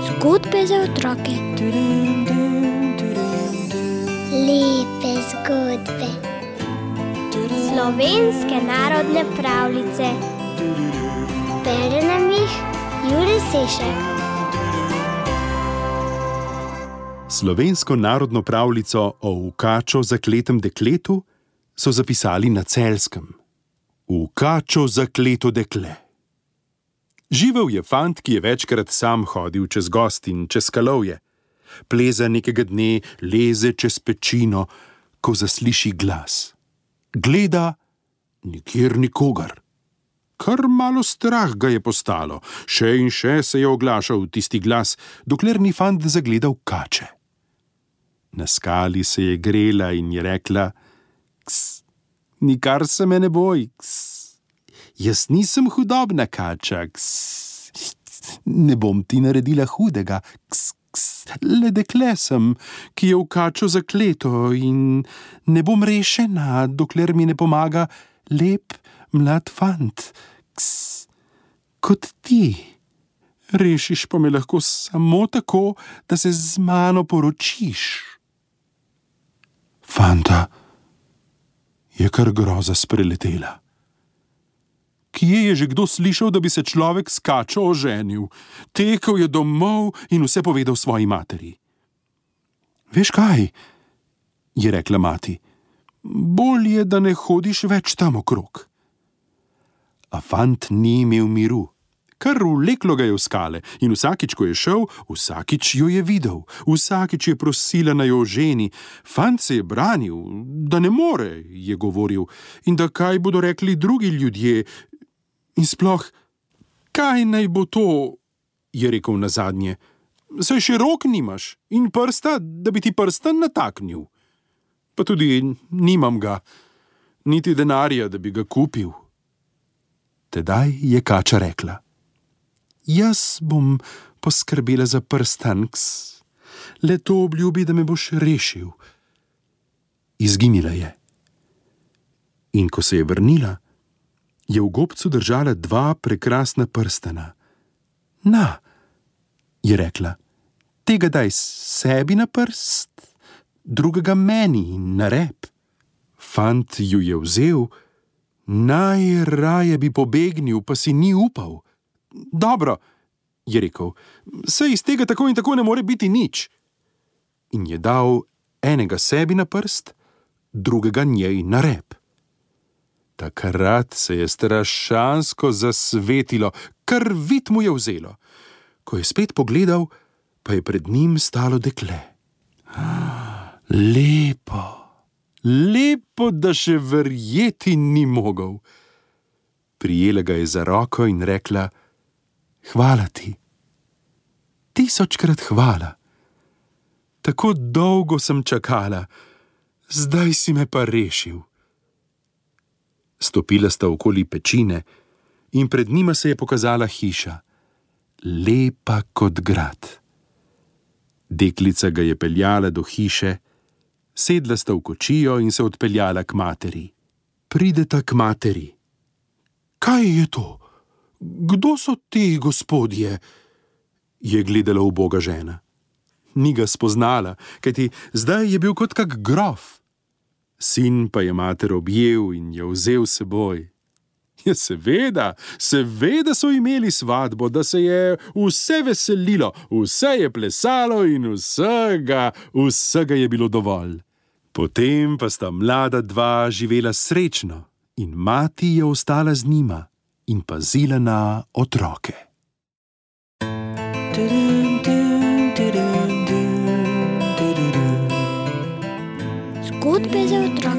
Zgodbe za otroke. Lepe zgodbe. Slovenske narodne pravljice. Bere nam jih Jure Sešek. Slovensko narodno pravljico o Ukačo zakletem dekletu so zapisali na Celjskem. Ukačo zakleto dekle. Živel je fant, ki je večkrat sam hodil čez gozd in čez skalovje. Pleza nekega dne leze čez pečino, ko zasliši glas. Gleda, nikjer nikogar. Kar malo strah ga je postalo, še in še se je oglašal tisti glas, dokler ni fant zagledal kače. Na skali se je grela in je rekla: "Ks, nikar se me ne boj, ks. Jaz nisem hudobna kača, ks. Ne bom ti naredila hudega, ks, ks. Le dekle sem, ki je v kačo zakleto in ne bom rešena, dokler mi ne pomaga lep mlad fant, ks, kot ti. Rešiš pa me lahko samo tako, da se z mano poročiš." Fanta je kar groza spreletela. Kje je že kdo slišal, da bi se človek s kačo oženil? Tekel je domov in vse povedal svoji materi. "Veš kaj?" je rekla mati. "Bolje, da ne hodiš več tam okrog." A fant ni imel miru. Kar vleklo ga je v skale in vsakič, ko je šel, vsakič jo je videl. Vsakič je prosila, naj jo oženi. Fant se je branil, da ne more, je govoril, in da kaj bodo rekli drugi ljudje. In sploh, kaj naj bo to, je rekel nazadnje. Saj še rok nimaš in prsta, da bi ti prsten nataknil. Pa tudi nimam ga, niti denarja, da bi ga kupil. Tedaj je kača rekla: "Jaz bom poskrbela za prstan, ks. Le to obljubi, da me boš rešil." Izginila je. In ko se je vrnila, je v gobcu držala 2 prekrasna prstana. "Na," je rekla, "tega daj sebi na prst, drugega meni na rep." Fant ju je vzel, najraje bi pobegnil, pa si ni upal. "Dobro," je rekel, "saj iz tega tako in tako ne more biti nič." In je dal enega sebi na prst, drugega njej na rep. Takrat se je strašansko zasvetilo, kar vid mu je vzelo. Ko je spet pogledal, pa je pred njim stalo dekle. Lepo, lepo, da še verjeti ni mogel. Prijela ga je za roko in rekla: "Hvala ti. 1000-krat hvala. Tako dolgo sem čakala, zdaj si me pa rešil." Stopila sta okoli pečine in pred njima se je pokazala hiša, lepa kot grad. Deklica ga je peljala do hiše, sedla sta v kočijo in se odpeljala k materi. Prideta k materi. "Kaj je to? Kdo so ti gospodje?" je gledala uboga žena. Ni ga spoznala, kajti zdaj je bil kot kak grof. Sin pa je mater objel in jo vzel s seboj. Ja, seveda so imeli svatbo, da se je vse veselilo, vse je plesalo in vsega je bilo dovolj. Potem pa sta mlada 2 živela srečno in mati je ostala z njima in pazila na otroke. Zgodbe za otroke.